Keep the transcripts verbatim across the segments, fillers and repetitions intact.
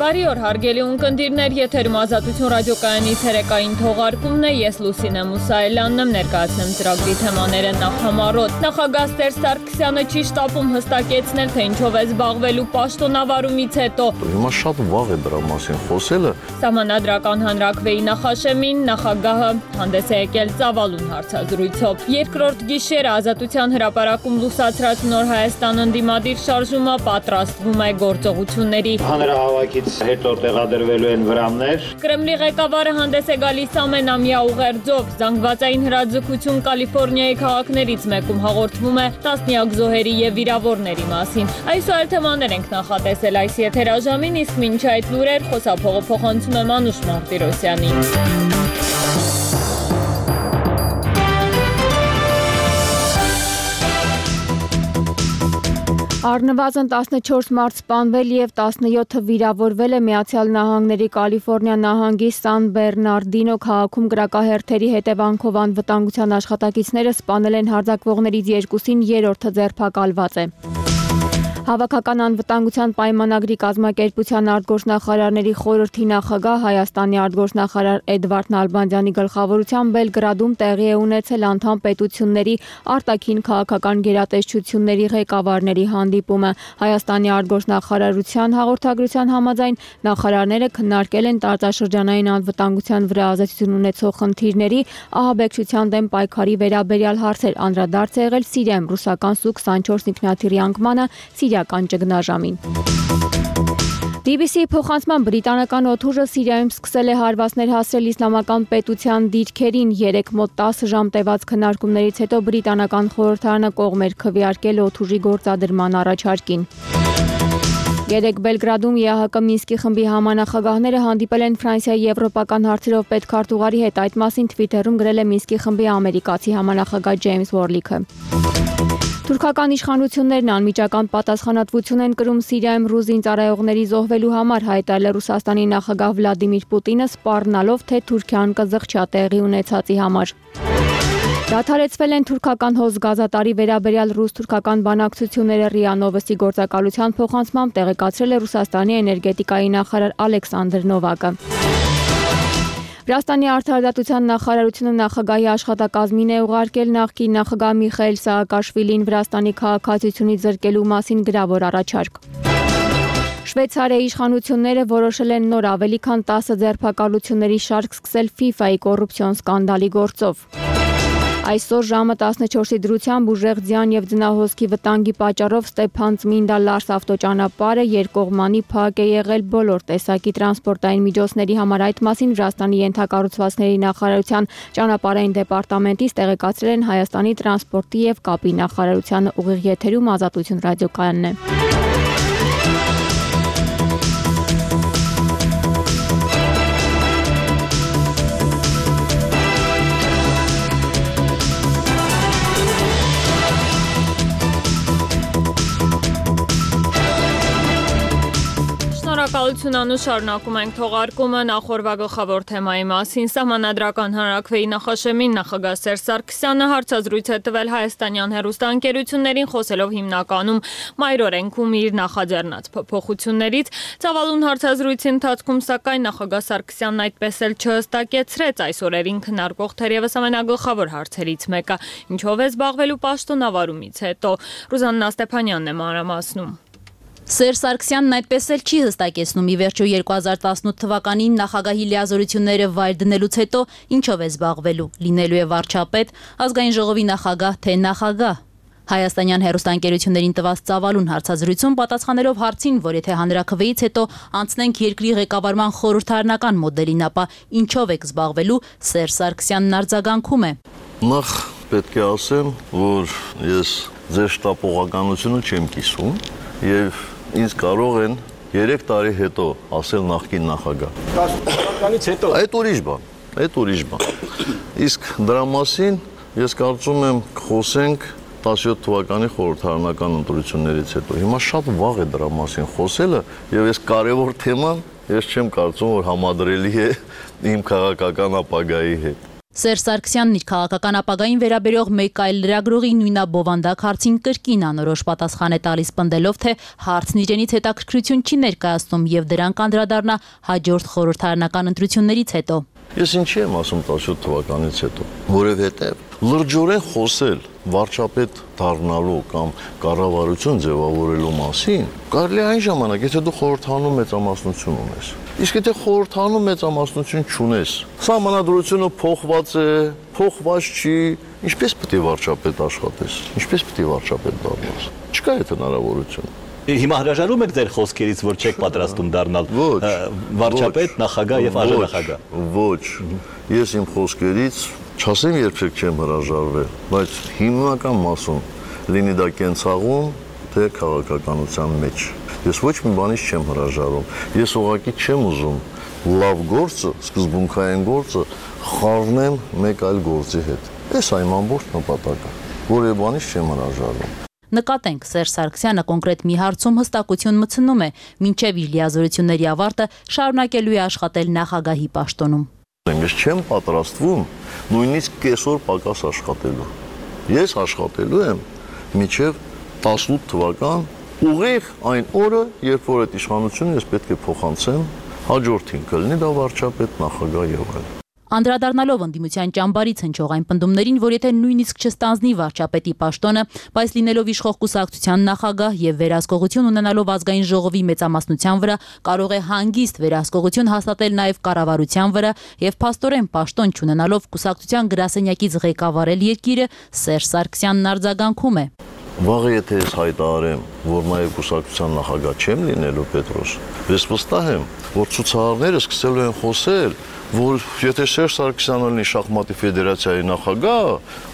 Բարի օր, հարգելի ունկնդիրներ, եթերում Ազատություն ռադիոկայանի ցերեկային թողարկումն է, ես Լուսինե Մուսայելյանն եմ, ներկայացնեմ ծրագրի թեմաները նախամարոտ։ Նախագահ Սերժ Սարգսյանը չի շտապում հստակեցնել, թե ինչով է զբաղվելու պաշտոնավարումից հետո։ Հիմա շատ վաղ է դրա մասին խոսելը։ Սահմանադրական հանրաքվեի նախաշեմին նախագահը հանդես է եկել ծավալուն հարցազրույցով։ Երկրորդ գիշերը Ազատության հրապարակում լուսացրած Նոր Հայաստան ընդդիմադիր շարժումը պատրաստվում է գործողությունների։ Հանրահավաքից հետո տեղադրվելու են վրաններ։ Կրեմլի ղեկավարը հանդես է գալիս ամենամյա ուղերձով։ Զանգվածային հրաձգություն Կալիֆոռնիայի քաղաքներից մեկում հաղորդվում է տասնյակ զոհերի եւ վիրավորների մասին։ Այս ու այլ թեմաներ ենք նախատեսել այս եթերաժամին, իսկ մինչ այդ լուրեր խոսափողը փոխանցում եմ Անուշ Մարտիրոսյանին։ Առնվազն տասնչորս մարդ սպանվել եւ տասնյոթը վիրավորվել է Միացյալ Նահանգների Կալիֆոռնիա նահանգի Սան Բեռնարդինո քաղաքում կրակահերթերի հետևանքով անվտանգության աշխատակիցները սպանել են հարձակվողներից երկուսին, երրորդը ձերբակալված է։ Հավաքական անվտանգության պայմանագրի կազմակերպության արտգործնախարարների խորհրդի նախագահ Հայաստանի արտգործնախարար Էդվարդ Նալբանդյանի գլխավորությամբ Բելգրադում տեղի է ունեցել անդամ պետությունների արտաքին քաղաքական գերատեսչությունների ղեկավարների հանդիպումը։ Հայաստանի արտգործնախարարության հաղորդագրության համաձայն նախարարները քննարկել են տարածաշրջանային անվտանգության վրա ազդեցություն ունեցող խնդիրների, ահաբեկչության դեմ պայքարի վերաբերյալ հարցեր, անդրադարձ է եղել Սիրիայում ռուսական Սու քսանչորս ինքնաթիռի անկմանը, Սիրիական ճգնաժամին։ բի բի սի-ի փոխանցման բրիտանական օդուժը Սիրիայում սկսել է հարվածներ հասցրել իսլամական պետության դիրքերին։ Երեք մոտ տասը ժամ տևած քննարկումներից հետո բրիտանական խորհրդարանը կողմ էր քվեարկել օդուժի գործադրման առաջարկին։ Երեկ Բելգրադում Է Ահ Կը Մինսկի խմբի համանախագահները հանդիպել են Ֆրանսիայի եվրոպական հարցերով պետքարտուղարի հետ։ Այդ մասին Թվիթերում գրել է Մինսկի խմբի ամերիկացի համանախագահ Ջեյմս Վորլիքը։ Թուրքական իշխանություններն անմիջական պատասխանատվություն են կրում Սիրիայում ռուս զինծառայողների զոհվելու համար, հայտարարել է Ռուսաստանի նախագահ Վլադիմիր Պուտինը, սպառնալով, թե Թուրքիան կզղջա տեղի ունեցածի համար։ Դադարեցվել են թուրքական հոսգազատարի վերաբերյալ ռուս-թուրքական բանակցությունները ՌԻԱ Նովոստի գործակալության փոխանցմամբ տեղեկացրել է Ռուսաստանի էներգետիկայի նախարար Ալեքսանդր Նովակը։ Վրաստանի արդարադատության նախարարությունը նախագահի աշխատակազմին է ուղարկել նախկին նախագահ Միխայիլ Սաակաշվիլին Վրաստանի քաղաքացիությունից զրկելու մասին գրավոր առաջարկ։ Շվեյցարիայի իշխանությունները որոշել են նոր ավելի քան տասը ձերբակալությունների շարք սկսել ֆիֆայի կոռուպցիոն սկանդալի գործով։ Այսօր ժամը տասնչորսի դրությամբ ուժեղ ձյան եւ ձնահոսքի վտանգի պատճառով Ստեփան-Ծմինդա Լարս ավտոճանապարհը երկկողմանի փակ է եղել բոլոր տեսակի տրանսպորտային միջոցների համար։ Այդ մասին Վրաստանի ենթակառուցվածքների նախարարության ճանապարհային դեպարտամենտից տեղեկացրել են Հայաստանի տրանսպորտի եւ կապի նախարարությանը։ Ուղիղ եթերում Ազատություն ռադիոկայանն է։ Շնորհակալություն Անուշ, շարունակում ենք թողարկումը նախորդ գլխավոր թեմայի մասին։ Սահմանադրական հանրաքվեի նախաշեմին նախագահ Սերժ Սարգսյանը հարցազրույց է տվել հայաստանյան հեռուստաընկերություններին, խոսելով հիմնականում մայրօրենքում իր նախաձեռնած փոփոխություններից։ Ծավալուն հարցազրույցի ընթացքում սակայն նախագահ Սարգսյանն այդպես էլ չհստակեցրեց այս օրերին քննարկվող թերևս ամենագլխավոր հարցերից մեկը՝ ինչով է զբաղվելու պաշտոնավարումից հետո։ Ռուզաննա Ստեփանյանն է մանրամասնում։ Սերժ Սարգսյանն այդպես էլ չի հստակեցնում ի վերջո երկու հազար տասնութ թվականին նախագահի լիազորությունները վայր դնելուց հետո ինչով է զբաղվելու, լինելու է վարչապետ, ազգային ժողովի նախագահ, թե նախագահ։ Հայաստանյան հեռուստաընկերություններին տված ծավալուն հարցազրույցում պատասխանելով հարցին, որ եթե հանրաքվեից հետո անցնենք երկրի ղեկավարման խորհրդարանական մոդելին, ապա ինչով եք զբաղվելու, Սերժ Սարգսյանն արձագանքում է։ Նախ պետք է ասեմ, որ ես ձեր շտապողականությունը չեմ կիսում եւ ինձ կարող են երեք տարի հետո ասել նախկին նախագահ։ Տասնից հետո։ Այդ ուրիշ բան, այդ ուրիշ բան։ Իսկ դրա մասին ես կարծում եմ խոսենք տասնյոթ թվականի խորհրդարանական ընտրություններից հետո։ Հիմա շատ վաղ է դրա մասին խոսելը եւ այս կարևոր թեման ես չեմ կարծում որ համադրելի է իմ քաղաքական ապագայի հետ։ Սերժ Սարգսյանն իր քաղաքական ապագային վերաբերող մեկ այլ լրագրողի նույնաբովանդակ հարցին կրկին անորոշ պատասխան է տալիս, պնդելով, թե հարցն իրենից հետաքրքրություն չի ներկայացնում եւ դրան կանդրադառնա հաջորդ խորհրդարանական ընտրություններից հետո։ Ես ինչի եմ ասում տասնյոթ թվականից հետո, որովհետեւ լրջորեն խոսել վարչապետ դառնալու կամ կառավարություն ձևավորելու մասին կարելի է այն ժամանակ, եթե դու խորհրդանում մեծամասնություն ունես։ Իսկ եթե խորհրդանում մեծամասնություն չունես, սահմանադրությունը փոխված է, փոխված չի, ինչպես պետք է վարչապետ աշխատես, ինչպես պետք է վարչապետ դառնաս։ Չկա այդ հնարավորությունը։ Հիմա հրաժարվում եք ձեր խոսքերից, որ չեք պատրաստում դառնալ վարչապետ, նախագահ եւ արժանախագահ։ Ոչ, ես իմ խոսքերից չասեմ երբեք չեմ հրաժարվել, բայց հիմնական մասում լինի դա կենցաղում, թե քաղաքականության մեջ։ Ես ոչ մի բանից չեմ հրաժարվում։ Ես ուղղակի չեմ ուզում լավ գործը, սկզբունքային գործը խառնեմ մեկ այլ գործի հետ։ Այս այն ամբողջ նպատակը, որի բանից չեմ հրաժարվում։ Նկատենք, Սերժ Սարգսյանը կոնկրետ մի հարցում հստակություն մտցնում է, մինչև իր լիազորությունների ավարտը շարունակելու է աշխատել նախագահի պաշտոնում։ Ես չեմ պատրաստվում նույնիսկ կեսօր պակաս աշխատելու։ Ես աշխատելու եմ մինչև տասնութ թվական ուղիղ այն օրը, երբ որ այդ իշխանությունը ես պետք է փոխանցեմ հաջորդին, կլինի դա վարչապետ, նախագահ եւ այլն։ Անդրադառնալով ընդդիմության ճամբարից հնչող այն պնդումներին, որ եթե նույնիսկ չստանձնի վարչապետի պաշտոնը, բայց լինելով իշխող կուսակցության նախագահ եւ վերահսկողություն ունենալով ազգային ժողովի մեծամասնության վրա, կարող է հանգիստ վերահսկողություն հաստատել նաեւ կառավարության վրա եւ փաստորեն պաշտոն չունենալով կուսակցության գրասենյակից ղեկավարել երկիրը, Սերժ Սարգսյանն արձագանքում է։ Վաղը եթե ես հայտարարեմ, որ նաև կուսակցության նախագահ չեմ լինելու, Պետրոս, ես վստահ եմ, որ ցուցարարները սկսելու են խոսել, որ եթե Սերժ Սարգսյանը լինի շախմատի ֆեդերացիայի նախագահ,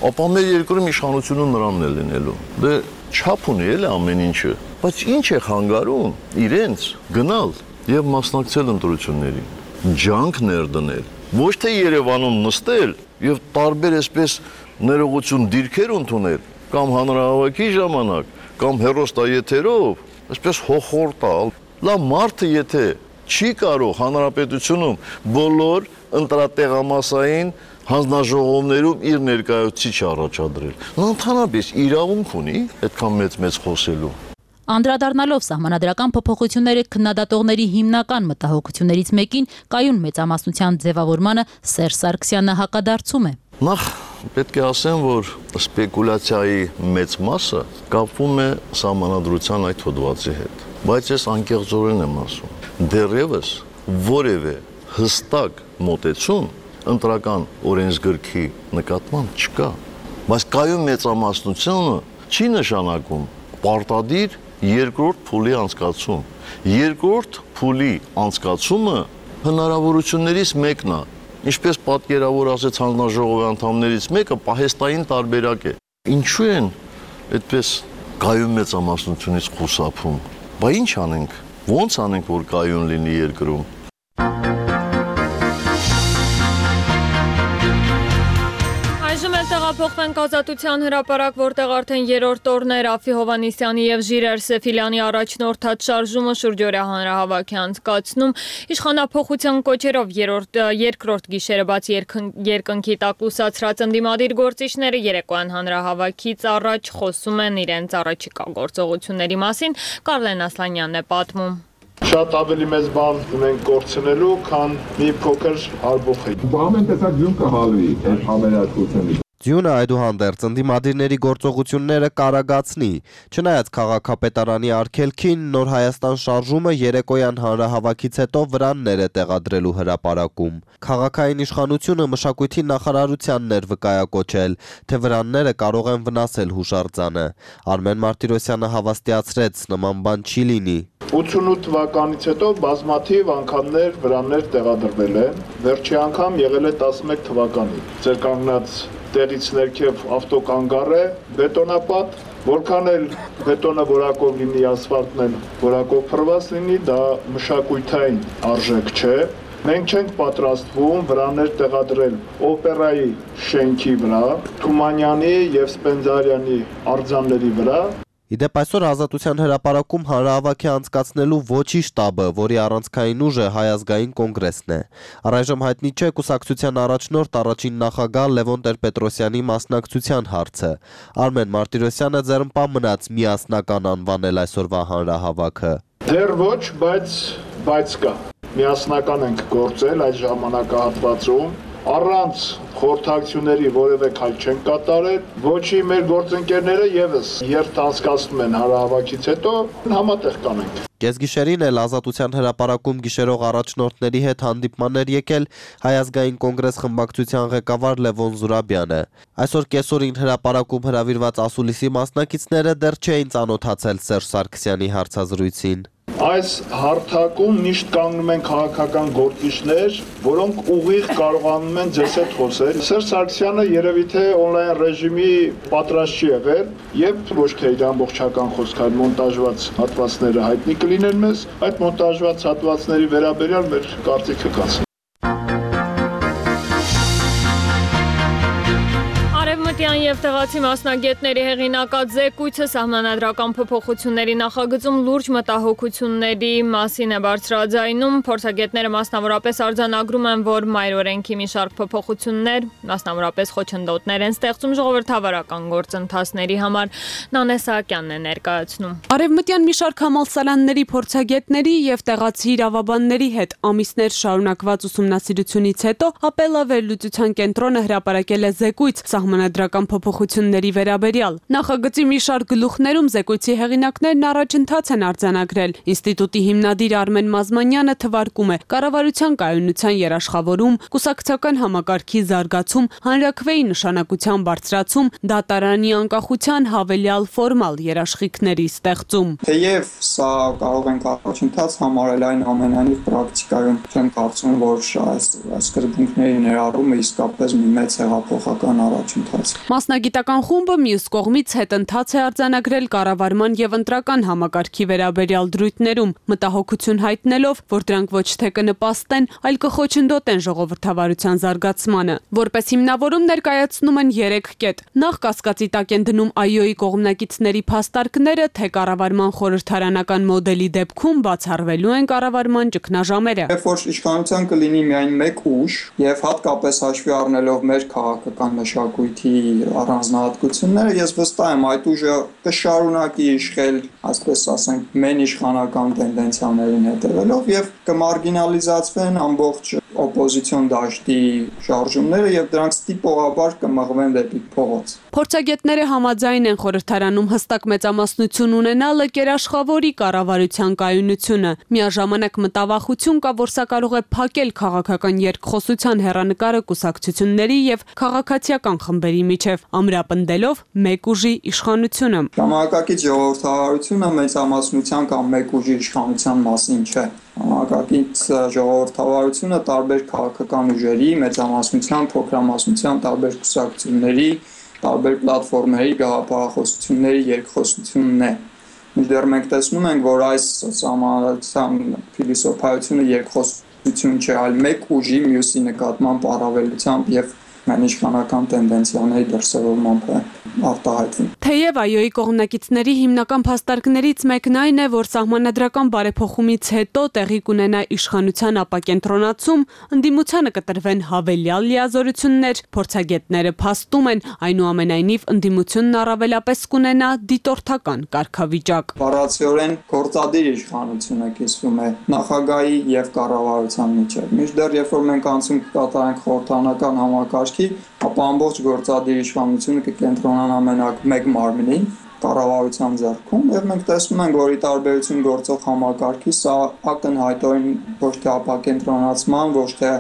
ապա մեր երկրում իշխանությունը նրանն է լինելու։ Դե չափ ունի էլ ամեն ինչը, բայց ինչ է խանգարում իրենց գնալ եւ մասնակցել ընտրություններին, ջանք ներդնել, ոչ թե Երևանում նստել եւ տարբեր այսպես ներողություն դիրքեր ընդունել, կամ հանրահավաքի ժամանակ, կամ հեռուստաեթերով, այսպես հոխոր տալ։ Լավ մարդը եթե չի կարող հանրապետությունում բոլոր ընտրատեղամասային հանձնաժողովներում իր ներկայացուցիչ առաջադրել։ Նա ընդհանրապես իրավունք ունի այդքան մեծ-մեծ խոսելու։ Անդրադառնալով սահմանադրական փոփոխությունները քննադատողների հիմնական մտահոգություններից մեկին կայուն մեծամասնության ձևավորմանը Սերժ Սարգսյանը հակադարձում է։ Նախ պետք է ասեմ, որ սպեկուլյացիայի մեծ մասը կապվում է սահմանադրության այդ հոդվածի հետ, բայց ես անկեղծորեն եմ ասում, դեռևս որևէ հստակ մոտեցում ընտրական օրենսգրքի նկատմամբ չկա, բայց կայուն մեծամասնությունը չի նշանակում պարտադիր երկրորդ փուլի անցկացում։ Երկրորդ փուլի անցկացումը հնարավորություններից մեկն է, ինչպես պատկերավոր ասեց հանձնաժողովի անդամներից մեկը, պահեստային տարբերակ է։ Ինչու են այդպես կայուն մեծամասնությունից խուսափում։ Բա ինչ անենք, ո՞նց անենք, որ կայուն լինի երկրում։ Տեղափոխվենք Ազատության հրապարակ, որտեղ արդեն երրորդ օրն է Ռաֆի Հովհաննիսյանի եւ Ժիրայր Սեֆիլյանի առաջնորդած շարժումը շուրջօրյա հանրահավաք է անցկացնում։ Իշխանափոխության կոչերով երրորդ երկրորդ գիշերը բաց երկնքի տակ լուսացրած ընդդիմադիր գործիչները երեկոյան հանրահավաքից առաջ խոսում են իրենց առաջիկա գործողությունների մասին։ Կարլեն Ասլանյանն է պատմում։ Շատ ավելի մեծ բան ունենք կորցնելու, քան մի փոքր արբոխի։ Ամեն տեսակ ձյուն կհալվի այդ համերաշխությունից։ Ձյունը այդուհանդերձ ընդդիմադիրների գործողությունները կարագացնի, չնայած քաղաքապետարանի արգելքին Նոր Հայաստան շարժումը երեկոյան հանրահավաքից հետո վրաններ է տեղադրելու հրապարակում։ Քաղաքային իշխանությունը մշակույթի նախարարությանն էր վկայակոչել, թե վրանները կարող են վնասել հուշարձանը։ Արմեն Մարտիրոսյանը հավաստիացրեց, նման բան չի լինի։ ութսունութ թվականից հետո բազմաթիվ անգամներ վրաններ տեղադրվել են, վերջի անգամ եղել է տասնմեկ թվականին։ Ձեր կանգնած տեղից ներքև ավտոկանգառ է, բետոնապատ, որքան էլ բետոնը որակով լինի, ասֆալտն էլ որակով փռված լինի, դա մշակույթային արժեք չէ։ Մենք չենք պատրաստվում վրաներ տեղադրել օպերայի շենքի վրա, Թումանյանի եւ Սպենդիարյանի արձանների վրա, Իդեպ այսօր Ազատության հրապարակում հանրահավաքի անցկացնելու ոչի շտաբը, որի առանցքային ուժը Հայ ազգային կոնգրեսն է։ Առայժմ հայտնի չէ կուսակցության առաջնորդ առաջին նախագահ Լևոն Տեր-Պետրոսյանի մասնակցության հարցը։ Արմեն Մարտիրոսյանը ձեռնպահ մնաց միասնական անվանել այսօրվա հանրահավաքը։ Դեռ ոչ, բայց բայց կա։ Միասնական ենք գործել այդ ժամանակահատվածում, առանց խորհրդակցությունների որևէ քայլ չեն կատարել, ոչի մեր գործընկերները եւս երթ անցկացնում են հանրահավաքից հետո համատեղ կանենք։ Կեսգիշերին էլ Ազատության հրապարակում գիշերող առաջնորդների հետ հանդիպման էր եկել Հայ ազգային կոնգրես խմբակցության ղեկավար Լևոն Զուրաբյանը։ Այսօր կեսօրին հրապարակում հրավիրված ասուլիսի մասնակիցները դեռ չէին ծանոթացել Սերժ Սարգսյանի հարցազրույցին։ Այս հարթակում միշտ կանգնում են քաղաքական գործիչներ, որոնք ուղիղ կարողանում են ձեզ հետ խոսել։ Սերժ Սարգսյանը երևի թե on-line ռեժիմի պատրաստ չի եղել եւ ոչ թե իր ամբողջական խոսքը, այլ մոնտաժված հատվածները հայտնի կլինեն մեզ, այդ մոնտաժված հատվածների վերաբերյալ մեր կարծիքը կասենք։ Արևմտյան եւ տեղացի մասնագետների հեղինակած զեկույցը սահմանադրական փոփոխությունների նախագծում լուրջ մտահոգությունների մասին է բարձրաձայնում։ Փորձագետները մասնավորապես արձանագրում են, որ մայր օրենքի մի շարք փոփոխություններ, մասնավորապես խոչընդոտներ են ստեղծում ժողովրդավարական գործընթացների համար։ Նանե Սահակյանն է ներկայացնում։ Արևմտյան մի շարք համալսարանների փորձագետների եւ տեղացի իրավաբանների հետ ամիսներ շարունակված ուսումնասիրությունից հետո ապելավերլուծության կենտրոնը հրապարակել է զեկույց սահմանադրական փոփոխությունների վերաբերյալ։ Նախագծի մի շարք գլուխներում զեկույցի հեղինակներն առաջընթաց են արձանագրել։ Ինստիտուտի հիմնադիր Արմեն Մազմանյանը թվարկում է կառավարության կայունության երաշխավորում, կուսակցական համակարգի զարգացում, հանրաքվեի նշանակության բարձրացում, դատարանի անկախության հավելյալ ֆորմալ երաշխիքների ստեղծում։ Թեև սա կարող ենք առաջընթաց համարել, այն ամենայնիվ պրակտիկայում չեմ կարծում, որ այս սկզբունքների ներառումը իսկապես մի մեծ հեղափոխական առաջընթաց։ Մասնագիտական խումբը մյուս կողմից հետընթաց է արձանագրել կառավարման եւ ընտրական համակարգի վերաբերյալ դրույթներում, մտահոգություն հայտնելով, որ դրանք ոչ թե կնպաստեն, այլ կխոչընդոտեն ժողովրդավարության զարգացմանը։ Որպես հիմնավորում ներկայացնում են երեք կետ։ Նախ կասկածի տակ են դնում ԱՅՈ-ի կողմնակիցների փաստարկները, թե կառավարման խորհրդարանական մոդելի դեպքում բացառվելու են կառավարման ճգնաժամերը։ Երբ որ իշխանության կլինի միայն մեկ ուժ եւ հատկապես հաշվի առնելով մեր քաղաքական մշակույթի առանձնահատկությունները, ես վստահ եմ այդ ուժը կշարունակի իշխել, այսպես ասենք, մեն իշխանական տենդենցիաներին հետևելով եւ կմարգինալիզացվեն ամբողջ օպոզիցիոն դաշտի շարժումները եւ դրանք ստիպողաբար կմղվեն դեպի փողոց։ Փորձագետները համաձայն են խորհրդարանում հստակ մեծամասնություն ունենալը կերաշխավորի կառավարության կայունությունը։ Միաժամանակ մտավախություն կա, որ սա կարող է փակել քաղաքական երկխոսության հեռանկարը կուսակցությունների եւ քաղաքացիական խմբերի միջև, ամրապնդելով մեկ ուժի իշխանությունը։ Ժամանակակից ժողովրդավարությունը մեծամասնության կամ մեկ ուժի իշխանության մասին չէ։ Ժամանակակից ժողովրդավարությունը տարբեր քաղաքական ուժերի, մեծամասնության, փոքրամասնության, տարբեր կուսակցությունների, տարբեր պլատֆորմերի, գաղափարախոսությունների երկխոսությունն է։ Մինչդեռ մենք տեսնում ենք, որ այս սահմանադրական փիլիսոփայությունը երկխոսություն չէ, այլ մեկ ուժի մյուսի նկատմամբ առավելությամբ եւ իշխանական տենդենցիաների դրսևորմամբ է արտահայտվում։ Թեև ԱՅՈ-ի կողմնակիցների հիմնական փաստարկներից մեկն այն է, որ սահմանադրական բարեփոխումից հետո տեղի կունենա իշխանության ապակենտրոնացում, ընդդիմությանը կտրվեն հավելյալ լիազորություններ, փորձագետները փաստում են, այնուամենայնիվ ընդդիմությունն առավելապես կունենա դիտորդական կարգավիճակ։ Բառացիորեն գործադիր իշխանությունը կիսվում է նախագահի եւ կառավարության միջեւ։ Մինչդեռ երբ որ մենք անցում կկատարենք խորհրդարանական համակարգ, ապա ամբողջ գործադիր իշխանությունը կկենտրոնանա մենակ մեկ մարմնի կառավարության ձեռքում եւ մենք տեսնում ենք, որ ի տարբերություն գործող համակարգի սա ակնհայտորեն ոչ թե ապակենտրոնացման, ոչ թե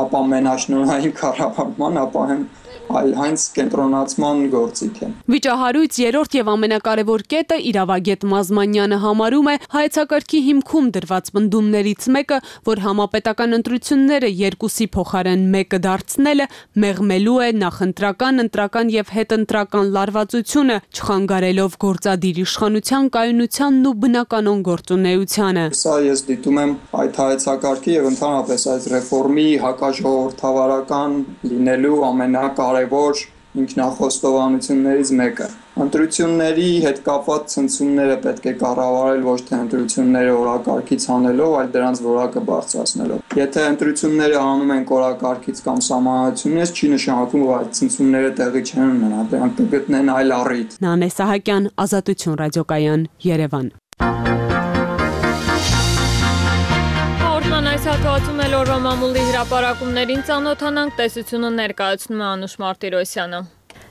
ապա մենաշնորհային կառավարման, ապա հենց այլ հենց կենտրոնացման գործիք է։ Վիճահարույց երրորդ եւ ամենակարևոր կետը իրավագետ Մազմանյանը համարում է հայեցակարգի հիմքում դրված պնդումներից մեկը, որ համապետական ընտրությունները երկուսի փոխարեն մեկը դարձնելը մեղմելու է նախընտրական, ընտրական եւ հետընտրական լարվածությունը, չխանգարելով գործադիր իշխանության կայունությանն ու բնականon գործունեությանը։ Սա ես դիտում եմ այդ հայեցակարգի եւ ընդհանրապես այս ռեֆորմի հակաժողովրդավարական լինելու ամենակարևոր ինքնախոստովանություններից մեկը։ Ընտրությունների հետ կապված ցնցումները պետք է կառավարել ոչ թե ընտրությունները օրակարգից հանելով, այլ դրանց որակը բարձրացնելով։ Եթե ընտրությունները անում են օրակարգից կամ սահմանությունից, չի նշանակում, որ այդ ցնցումները տեղի չեն ունենա, դրանք կգտնեն այլ առիթ։ Նանե Սահակյան, Ազատություն ռադիոկայան, Երևան։ Այս հատվածում էլ օրվա մամուլի հրապարակումներին ծանոթանանք, տեսությունը ներկայացնում է Անուշ Մարտիրոսյանը։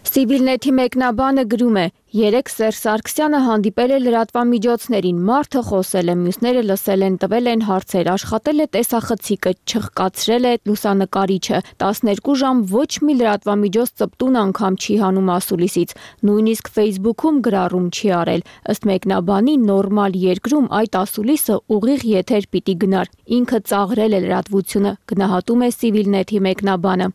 Civilnet-ի մեկնաբանը գրում է. երեք Սերժ Սարգսյանը հանդիպել է լրատվամիջոցներին, մարդը խոսել է, մյուսները լսել են, տվել են հարցեր, աշխատել է տեսախցիկը, չխկացրել է լուսանկարիչը, տասներկու ժամ ոչ մի լրատվամիջոց ծպտուն անգամ չի հանում ասուլիսից, նույնիսկ Facebook-ում գրառում չի արել, ըստ մեկնաբանի նորմալ երկրում այդ ասուլիսը ուղիղ եթեր պիտի գնար, ինքը ծաղրել է լրատվությունը, գնահատում է Civilnet-ի մեկնաբանը։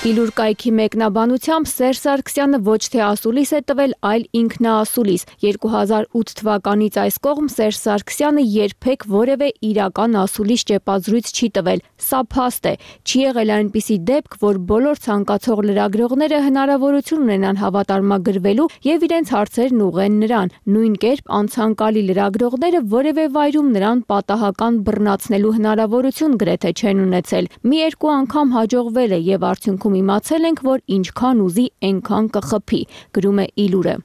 Իլուր կայքի մեկնաբանությամբ Սերժ Սարգսյանը ոչ թե ասուլիս է տվել, այլ ինքնաասուլիս։ երկու հազար ութ թվականից այս կողմ Սերժ Սարգսյանը երբեք որևէ իրական ասուլիս ճեպազրույց չի տվել։ Սա փաստ է։ Չի եղել այնպիսի դեպք, որ բոլոր ցանկացող լրագրողները հնարավորություն ունենան հավատարմագրվելու եւ իրենց հարցերն ուղղեն նրան։ Նույն կերպ անցանկալի լրագրողները որևէ վայրում նրան պատահական բռնացնելու հնարավորություն գրեթե չեն ունեցել։ Մի երկու անգամ հաջողվել է եւ արդյունքում իմացել ենք, որ ինչքան ուզի, այնքան կխփի, գրում է Իլուրը։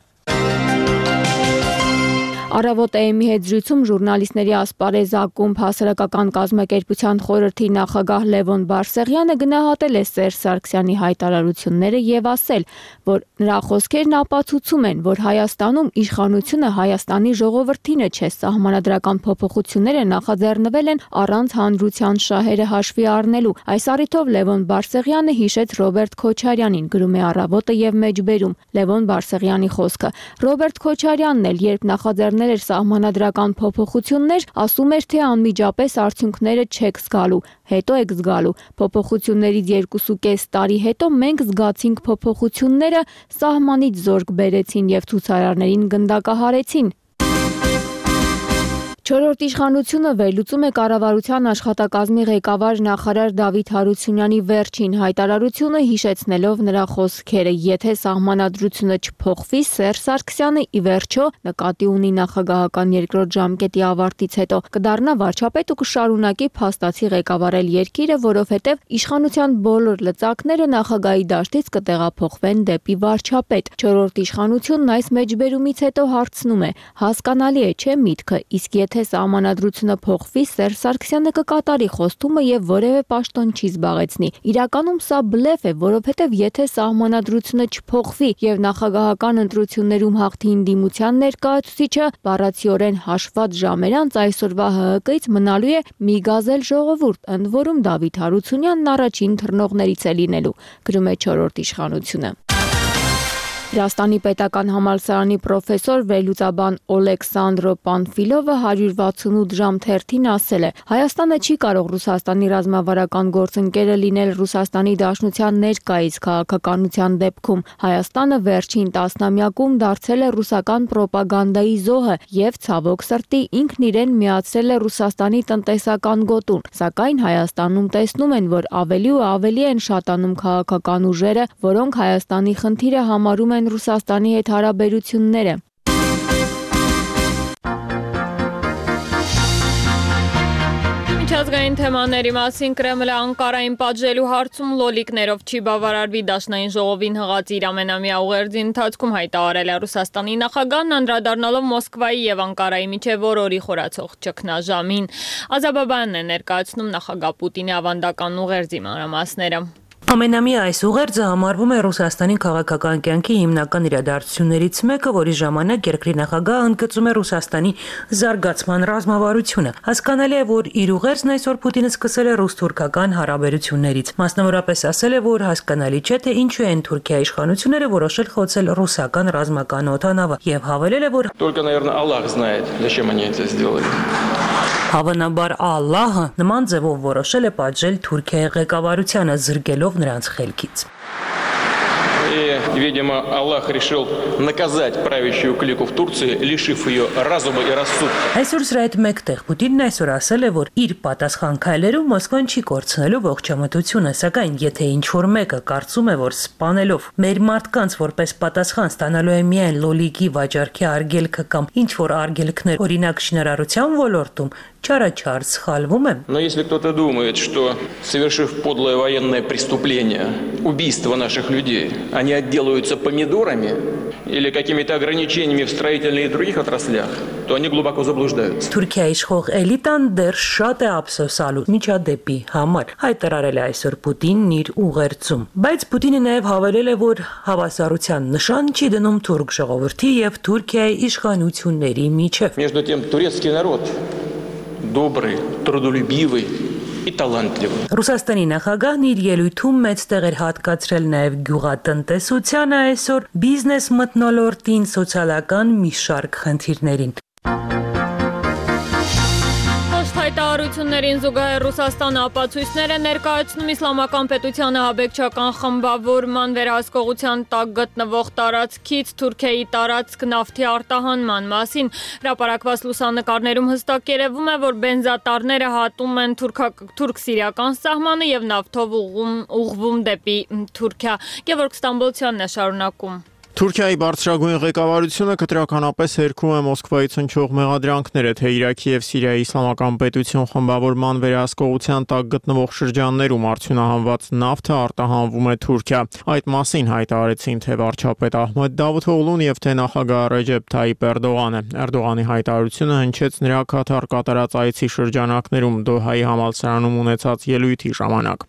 Առավոտ է-ի հետ զրույցում ժուրնալիստների ասպարեզ ակումբ հասարակական կազմակերպության խորհրդի նախագահ Լևոն Բարսեղյանը գնահատել է Սերժ Սարգսյանի հայտարարությունները եւ ասել, որ նրա խոսքերն ապացուցում են, որ Հայաստանում իշխանությունը Հայաստանի ժողովրդինը չէ, սահմանադրական փոփոխությունները նախաձեռնվել են առանց հանրության շահերը հաշվի առնելու։ Այս առիթով Լևոն Բարսեղյանը հիշեց Ռոբերտ Քոչարյանին, գրում է Առավոտը եւ մեջբերում Լևոն Բարսեղյանի խոսքը։ Ռոբերտ Քոչարյանն էլ երբ նախաձեռնել էր սահմանադրական փոփոխություններ, ասում էր, թե անմիջապես արդյունքները չեք զգալու, հետո եք զգալու։ Փոփոխություններից երկուսուկես տարի հետո մենք զգացինք փոփոխությունները, սահմանից զորք բերեցին եւ ցուցարարներին գնդակահարեցին։ Չորրորդ իշխանությունը վերլուծում է կառավարության աշխատակազմի ղեկավար նախարար Դավիթ Հարությունյանի վերջին հայտարարությունը, հիշեցնելով նրա խոսքերը. եթե սահմանադրությունը չփոխվի, Սերժ Սարգսյանը ի վերջո նկատի ունի նախագահական երկրորդ ժամկետի ավարտից հետո կդառնա վարչապետ ու կշարունակի փաստացի ղեկավարել երկիրը, որովհետև իշխանության բոլոր լծակները նախագահի դաշտից կտեղափոխվեն դեպի վարչապետ։ Չորրորդ իշխանությունն այս մեջբերումից հետո հարցնում է. հասկանալի է, չէ՞ միտքը, իսկ եթե սահմանադրությունը փոխվի, Սերժ Սարգսյանը կկատարի խոստումը եւ որևէ պաշտոն չի զբաղեցնի։ Իրականում սա բլեֆ է, որովհետեւ եթե սահմանադրությունը չփոխվի եւ նախագահական ընտրություններում հաղթի ընդդիմության ներկայացուցիչը, բառացիորեն հաշված ժամեր անց այսօրվա Հ Հ Կից մնալու է մի գազել ժողովուրդ, ընդ որում Դավիթ Հարությունյանն առաջին թռնողներից է լինելու, գրում է չորրորդ իշխանությունը։ Վրաստանի պետական համալսարանի պրոֆեսոր վերլուծաբան Օլեքսանդրո Պանֆիլովը հարյուր վաթսունութ ժամ թերթին ասել է. Հայաստանը չի կարող Ռուսաստանի ռազմավարական գործընկերը լինել Ռուսաստանի Դաշնության ներկայիս քաղաքականության դեպքում։ Հայաստանը վերջին տասնամյակում դարձել է ռուսական պրոպագանդայի զոհը եւ ցավոք սրտի ինքն իրեն միացրել է Ռուսաստանի տնտեսական գոտուն։ Սակայն Հայաստանում տեսնում են, որ ավելի ու ավելի են շատանում քաղաքական ուժերը, որոնք Հայաստանի խնդիրը համարում են Ռուսաստանի հետ հարաբերությունները։ Միջազգային թեմաների մասին Կրեմլը Անկարային պատժելու հարցում լոլիկներով չի բավարարվի, Դաշնային ժողովին հղած իր ամենամյա ուղերձի ընթացքում հայտարարել է Ռուսաստանի նախագահն, անդրադառնալով Մոսկվայի եւ Անկարայի միջև օրորի խորացող ճգնաժամին։ Ազաբաբանն է ներկայացնում նախագահ Պուտինի ավանդական ուղերձի մանրամասները։ Ամենամյա այս ուղերձը համարվում է Ռուսաստանի քաղաքական կյանքի հիմնական իրադարձություններից մեկը, որի ժամանակ երկրի նախագահը ընդգծում է Ռուսաստանի զարգացման ռազմավարությունը։ Հասկանալի է, որ իր ուղերձն այսօր Պուտինը սկսել է ռուս-թուրքական հարաբերություններից։ Մասնավորապես ասել է, որ հասկանալի չէ, թե ինչու են Թուրքիայի իշխանությունները որոշել խոցել ռուսական ռազմական օդանավը եւ հավելել է, որ Только, наверное, Аллах знает, зачем они это сделали. Հավանաբար Ալլահը նման ձևով որոշել է պատժել Թուրքիայի ղեկավարությանը, զրկելով նրանց խելքից։ И И, видимо, Аллах решил наказать правящую клику в Турции, лишив ее разума и рассудка. Այսօր սրա հետ մեկտեղ Պուտինն այսօր ասել է, որ իր պատասխան քայլերով Մոսկվան չի կորցնելու ողջամտությունը, սակայն եթե ինչ-որ մեկը կարծում է, որ սպանելով մեր մարդկանց որպես պատասխան ստանալու է միայն լոլիկի վաճառքի արգելքը կամ ինչ-որ արգելքներ, օրինակ շինարարության ոլորտում, չարաչար սխալվում եմ։ Но если кто-то думает, что, совершив подлое военное преступление, убийство наших людей, они отделаются помидорами или какими-то ограничениями в строительных и других отраслях, то они глубоко заблуждаются. Թուրքիայի իշխող էլիտան դեռ շատ է ափսոսալու միջադեպի համար, հայտարարել է այսօր Պուտինն իր ուղերձում։ Բայց Պուտինը նաև հավելել է, որ հավասարության նշան չի դնում թուրք ժողովրդի եւ Թուրքիայի իշխանությունների միջև։ Между тем, турецкий народ добрый, трудолюбивый и талантливый. Ռուսաստանի նախագահն իր ելույթում մեծ տեղ էր հատկացրել նաև գյուղատնտեսությանը, այսօր բիզնես մթնոլորտին, սոցիալական մի շարք խնդիրներին։ Հայտարարություններին զուգահեռ Ռուսաստանը ապացույցներ է ներկայացնում իսլամական պետությանը աբեկչական խմբավորման վերահսկողության տակ գտնվող տարածքից Թուրքիայի տարածք նավթի արտահանման մասին։ Հրապարակված լուսանկարներում հստակ երևում է, որ բենզատառները հատում են թուրք-սիրիական սահմանը եւ նավթով ուղղվում դեպի Թուրքիա։ Գևորգ Ստամբոլցյանն է շարունակում։ Թուրքիայի բարձրագույն ղեկավարությունը կտրականապես հերքում է Մոսկվայից հնչող մեղադրանքները, թե Իրաքի եւ Սիրիայի իսլամական պետություն խմբավորման վերահսկողության տակ գտնվող շրջաններում արդյունահանված նավթը արտահանվում է Թուրքիա։ Այդ մասին հայտարարեցին թե վարչապետ Ահմեդ Դավութօղլուն եւ թե նախագահ Ռեջեփ Թայիպ Էրդողանը։ Էրդողանի հայտարարությունը հնչեց նրա Կաթար կատարած այցի շրջանակներում Դոհայի համալսարանում ունեցած ելույթի ժամանակ։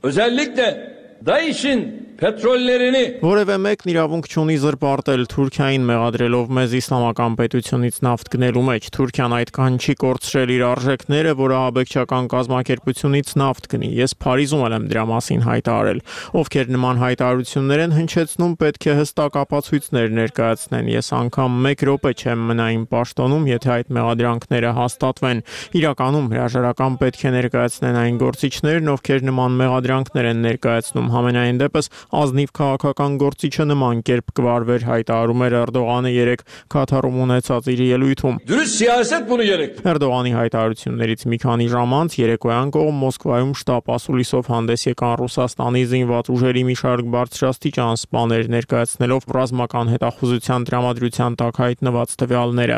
Որևէ մեկն իրավունք չունի զրպարտել Թուրքիային մեղադրելով մեզ իսլամական պետությունից նավթ գնելու մեջ։ Թուրքիան այդքան չի կորցրել իր արժեքները, որ ահաբեկչական կազմակերպությունից նավթ գնի։ Ես Փարիզում եմ դրա մասին հայտարարել։ Ովքեր նման հայտարարություններ են հնչեցնում, պետք է հստակ ապացույցներ ներկայացնեն։ Ես անգամ մեկ րոպե չեմ մնա իմ պաշտոնում, եթե այդ մեղադրանքները հաստատվեն։ Իրականում հրաժարական պետք է ներկայացնեն այն գործիչներն, ովքեր նման մեղադրանքներ են ներկայացնում։ Համենայն դեպս ազնիվ քաղաքական գործիչը նման կերպ կվարվեր, հայտարարում էր Էրդողանը երեկ Կաթարում ունեցած իր ելույթում։ Էրդողանի հայտարարություններից մի քանի ժամ անց երեկոյան կողմ Մոսկվայում շտապ ասուլիսով հանդես եկան Ռուսաստանի զինված ուժերի մի շարք բարձրաստիճան սպաներ, ներկայացնելով ռազմական հետախուզության տրամադրության տակ հայտնված տվյալները։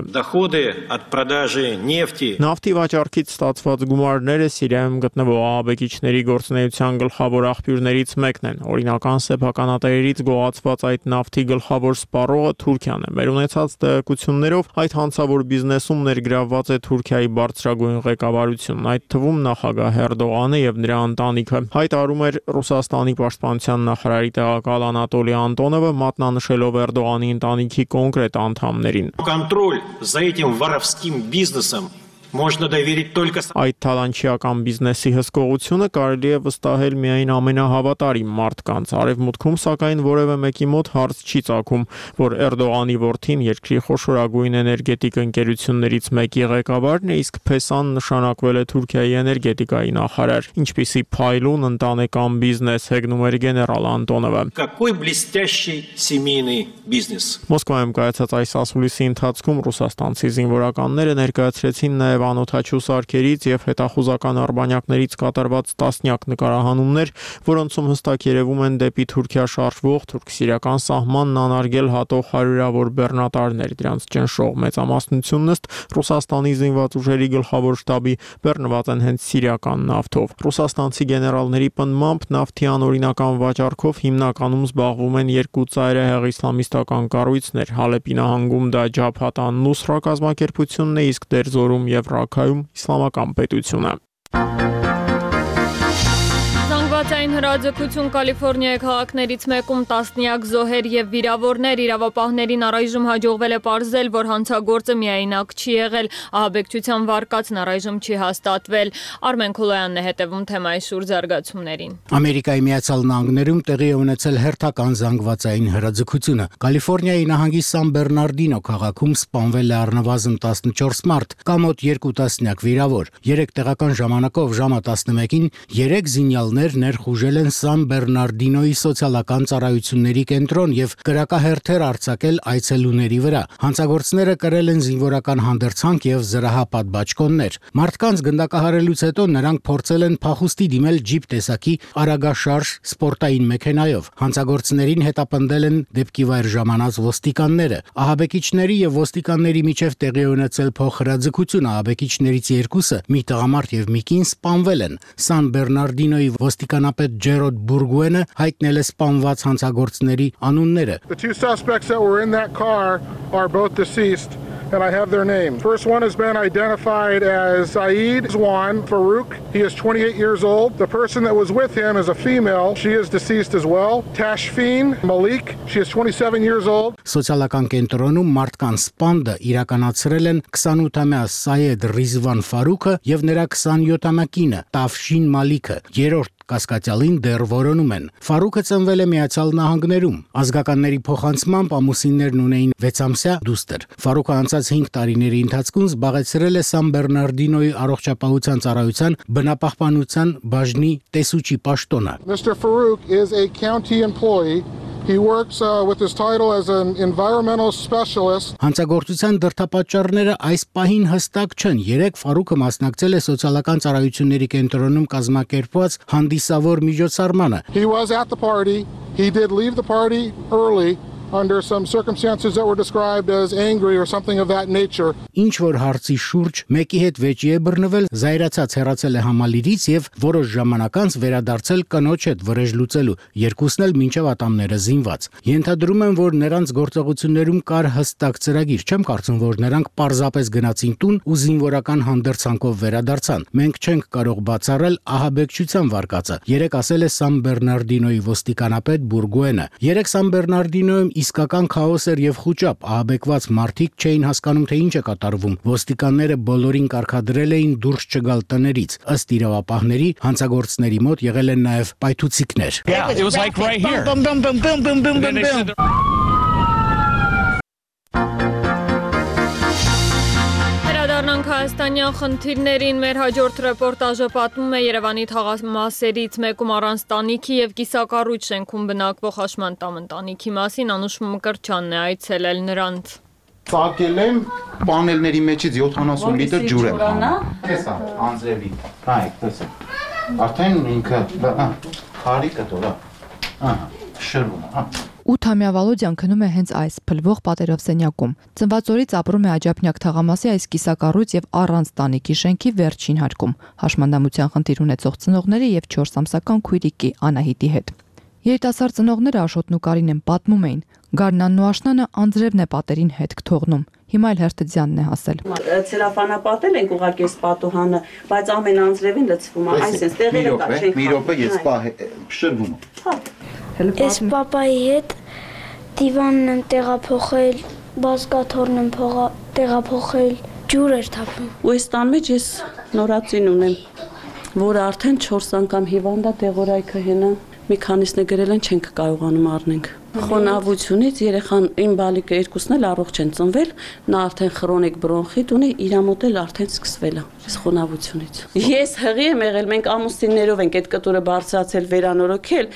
Նավթի վաճառքից ստացված գումարները Սիրիայում գտնվող ահաբեկիչների գործունեության գլխավոր աղբյուրներից մեկն են։ Օրինական սեփականատերերից գողացված այդ նավթի գլխավոր սպառողը Թուրքիան է։ Մեր ունեցած տեղեկություններով այդ հանցավոր բիզնեսում ներգրավված է Թուրքիայի բարձրագույն ղեկավարությունն, այդ թվում նախագահ Էրդողանը եւ նրա ընտանիքը։ Հայտարարում էր Ռուսաստանի պաշտպանության նախարարի տեղակալ Անատոլի Անտոնովը, մատնանշելով Էրդողանի ընտանիքի կոնկրետ անդամներին։ Контроль за этим воровским бизнесом можно доверить только Այդ թալանչիական բիզնեսի հսկողությունը կարելի է վստահել միայն ամենահավատարիմ մարդկանց։ Արևմուտքում սակայն որևէ մեկի մոտ հարց չի ծագում, որ Էրդողանի որդին երկրի խոշորագույն էներգետիկ ընկերություններից մեկի ղեկավարն է, իսկ Փեսան նշանակվել է Թուրքիայի էներգետիկայի նախարար։ Ինչպիսի փայլուն ընտանեկան բիզնես, հեգնում էր գեներալ Անտոնովը։ Какой блестящий семейный бизнес։ Մոսկվայում կայացած այս ասուլիսի ընթացքում ռուսաստանցի զինվորականները ներկայացրեցին նաև անօթաչու սարքերից եւ հետախուզական արբանյակներից կատարված տասնյակ նկարահանումներ, որոնցում հստակ երևում են դեպի Թուրքիա շարժվող թուրք-սիրիական սահմանն անարգել հատող հարյուրավոր բեռնատարներ։ Դրանց ճնշող մեծամասնությունն ըստ Ռուսաստանի զինված ուժերի գլխավոր շտաբի բեռնված են հենց սիրիական նավթով։ Ռուսաստանցի գեներալների պնդմամբ նավթի անօրինական վաճառքով հիմնականում զբաղվում են երկու ծայրահեղ իսլամիստական կառույցներ՝ Հալեպի նահանգում դա Ջաբհաթ ան-Նուսրա կազմակերպությունն է, իսկ Դերզորում եւ Ռաքայում իսլամական պետությունը։ Զանգվածային հրաձգություն Կալիֆոռնիայի քաղաքներից մեկում տասնյակ զոհեր եւ վիրավորներ, իրավապահներին առայժմ հաջողվել է պարզել, որ հանցագործը միայնակ չի եղել, ահաբեկչության վարկածն առայժմ չի հաստատվել։ Արմեն Քոլոյանն է հետևում թեմայի շուրջ զարգացումներին։ Ամերիկայի Միացյալ Նահանգներում տեղի է ունեցել հերթական զանգվածային հրաձգությունը։ Կալիֆոռնիայի նահանգի Սան Բեռնարդինո քաղաքում սպանվել է առնվազն տասնչորս մարդ, կամոտ երկու տասնյակ վիրավոր։ Երեք տեղական ժամանակով ժամը տասնմեկին երեք զինյալներ ներխուժ նախուժել են Սան Բեռնարդինոյի սոցիալական ծառայությունների կենտրոն եւ կրակահերթեր արձակել այցելուների վրա։ Հանցագործները կրել են զինվորական հանդերձանք եւ զրահապատբաճկոններ։ Մարդկանց գնդակահարելուց հետո նրանք փորձել են փախուստի դիմել ջիպ տեսակի արագաշարժ սպորտային մեքենայով։ Հանցագործներին հետապնդել են դեպքի վայր ժամանած ոստիկանները։ Ահաբեկիչների եւ ոստիկանների միջև տեղի ունեցել փոխհրաձգություն, ահաբեկիչներից երկուսը՝ մի տղամարդ եւ մի կին սպանվել են։ Սան Բեռնարդինոյի ոստիկանապետ Ջերոդ Բուրգուենը հայտնել է սպանված հանցագործների անունները։ The two suspects that were in that car are both deceased. And I have their names. First one has been identified as Saeed Zwan Farouk. He is twenty-eight years old. The person that was with him is a female. She is deceased as well. Tashfeen Malik. She is twenty-seven years old. Սոցիալական կենտրոնում մարդկանց սպանդը իրականացրել են քսանութամյա Սայեդ Ռիզվան Ֆարուկը եւ նրա քսանյոթամյա կինը Տաֆշին Մալիքը։ Երրորդ կասկածյալին դեռ որոնում են։ Ֆարուկը ծնվել է Միացյալ Նահանգներում։ Ազգականների փոխանցմամբ ամուսիններն ունեին վեցամսյա դուստր։ Ֆարուկը անցած հինգ տարիների ընթացքում զբաղեցրել է Սան Բեռնարդինոյի առողջապահության ծառայության բնապահպանության բաժնի տեսուչի պաշտոնը։ Mister Farouk is a county employee. He works uh, with his title as an environmental specialist. Հանցագործության դրդապատճառները այս պահին հստակ չեն։ Երեք Ֆարուկը մասնակցել է սոցիալական ծառայությունների կենտրոնում կազմակերպված հանդիսավոր միջոցառմանը։ He was at the party. He did leave the party early under some circumstances that were described as angry or something of that nature. Ինչ որ հարցի շուրջ մեկի հետ վեճի է բռնվել, զայրացած հեռացել է համալիրից եւ որոշ ժամանակ անց վերադարձել կնոջ հետ վրեժ լուծելու, երկուսն էլ մինչև ատամները զինված։ Ենթադրում եմ, որ նրանց գործողություններում կար հստակ ծրագիր, չեմ կարծում, որ նրանք պարզապես գնացին տուն ու զինվորական հանդերձանքով վերադարձան։ Մենք չենք կարող բացառել ահաբեկչության վարկածը։ Երեք ասել է Սան Բեռնարդինոյի ոստիկանապետ Բուրգուենը։ Երեք Սան Բեռնարդինոյում իսկական քաոս էր եւ խուճապ, ահաբեկված մարդիկ չէին հասկանում, թե ինչ է կատարվում։ Ոստիկանները բոլորին կարգադրել էին դուրս չգալ տներից։ Ըստ իրավապահների, հանցագործների մոտ եղել են նաեւ պայթուցիկներ։ Yeah, it was like right here. Boom, boom, boom, boom, boom, boom, boom, boom. Հայաստանյան խնդիրներին մեր հաջորդ ռեպորտաժը պատմում է Երևանի թաղամասերից մեկում առանց տանիքի եւ կիսակառույց շենքում բնակվող Հաշմանդամ ընտանիքի մասին Անուշ Մկրտչյանն է այցելել նրանց։ Ծակել եմ պանելների մեջից յոթանասուն լիտր ջուր եմ հանում։ Տեսա, անձրևի։ Հայ, տեսա։ Արդեն ինքը, քարիկը դորա։ Ահա, շրվում է, հա։ ութամյա Վալոդյան քնում է հենց այս փլվող պատերով սենյակում։ Ծնված օրից ապրում է Աջափնյակ թաղամասի այս կիսակառույց եւ առանց տանիքի շենքի վերջին հարկում, հաշմանդամության խնդիր ունեցող ծնողների եւ չորս ամսական քույրիկի Անահիտի հետ։ Երիտասարդ ծնողները Աշոտն ու Կարին են պատմում էին, Գարնանն ու Աշնանը անձրևն է պատերին հետ թողնում։ Հիմա էլ Հերթձյանն է հասել։ Ցելոֆանապատել ենք ուղղակի այս պատուհանը, բայց ամեն անձրևին լցվում է, այսպես տեղերը կա, չենք։ Մի րոպե, ես պահ շրվում եմ։ Հա։ Ես պապայի հետ դիվանն եմ տեղափոխել, բազկաթոռն եմ տեղափոխել, ջուր էր թափում։ Ու այս տան մեջ ես նորածին ունեմ, որը արդեն չորս անգամ հիվանդ է, դեղորայքը հենա։ Մի քանիսն է գրել են, չենք կարողանում առնենք։ Խոնավությունից երեխան իմ բալիկը երկուսն էլ առողջ են ծնվել, նա արդեն քրոնիկ բրոնխիտ ունի, իր մոտ էլ արդեն սկսվել է այս խոնավությունից։ Ես հղի եմ եղել, մենք ամուսիններով ենք այդ կտուրը բարձրացել, վերանորոգել,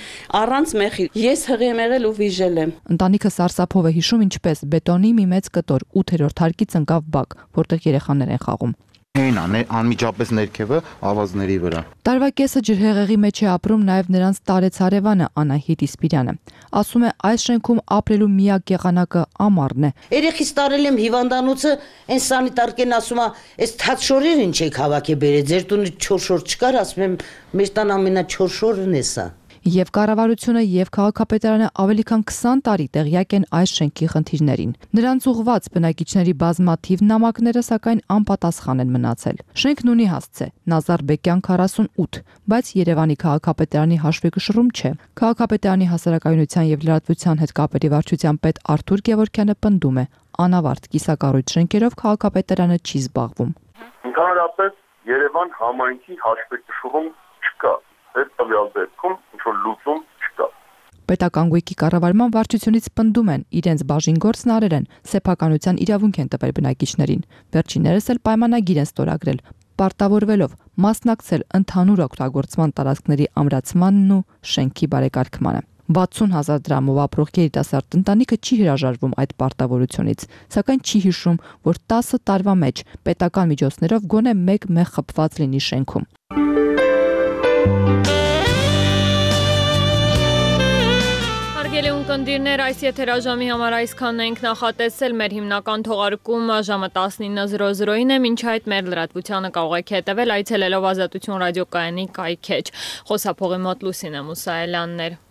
առանց մեխի։ Ես հղի եմ եղել ու վիժել եմ։ Ընտանիքը սարսափով է հիշում, ինչպես բետոնի մի մեծ կտոր ութերորդ հարկից ընկավ բակ, որտեղ երեխաներ են խաղում։ Այն անմիջապես ներքևը ավազների վրա։ Տարվա կեսը ջրհեղեղի մեջ է ապրում նաև նրանց տարեց հարևանը Անահիտ Իսպիրյանը։ Ասում է, այս շենքում ապրելու միակ եղանակը ամառն է։ Երեխից տարել եմ հիվանդանոցը, այն սանիտարկեն ասում է, այս թաց շորերը ինչ եք հավաքի բերել, ձեր տունը չոր շոր չկար, ասում եմ, մեր տան ամենաչոր շորն է սա։ Եվ կառավարությունը եւ քաղաքապետարանը ավելի քան քսան տարի տեղյակ են այս շենքի խնդիրներին։ Նրանց ուղված բնակիչների բազմաթիվ նամակները սակայն անպատասխան են մնացել։ Շենքն ունի հասցե Նազարբեկյան քառասունութ, բայց Երևանի քաղաքապետարանի հաշվեկշռում չէ։ Քաղաքապետարանի հասարակայնության եւ լրատվության հետ կապերի վարչության պետ Արթուր Գևորգյանը պնդում է, անավարտ կիսակառույց շենքերով քաղաքապետարանը չի զբաղվում։ Ընդհանրապես Երևան համայնքի հաշվեկշռում չկա։ Այդ տվյալ դեպքում ինչ-որ լուծում չկա։ Պետական գույքի կառավարման վարչությունից պնդում են, իրենց բաժին գործն արել են, սեփականության իրավունք են տվել բնակիչներին։ Վերջիններս էլ պայմանագիր են ստորագրել, պարտավորվելով մասնակցել ընդհանուր օգտագործման տարածքների ամրացմանն ու շենքի բարեկարգմանը։ վաթսուն հազար դրամով ապրող երիտասարդ ընտանիքը չի հրաժարվում այդ պարտավորությունից, սակայն չի հիշում, որ տասը տարվա մեջ պետական միջոցներով գոնե մեկ մեղ խփված լինի շենքում։ Հարգելի ունկնդիրներ, այս եթերաժամի համար այսքանն ենք նախատեսել։ Մեր հիմնական թողարկումը ժամը տասնինը զրո զրոին է, մինչ այդ մեր լրատվությանը կարող եք հետևել այցելելով Ազատություն ռադիոկայանի կայքեջ։ Խոսափողի մոտ Լուսինե Մուսայելյաններ։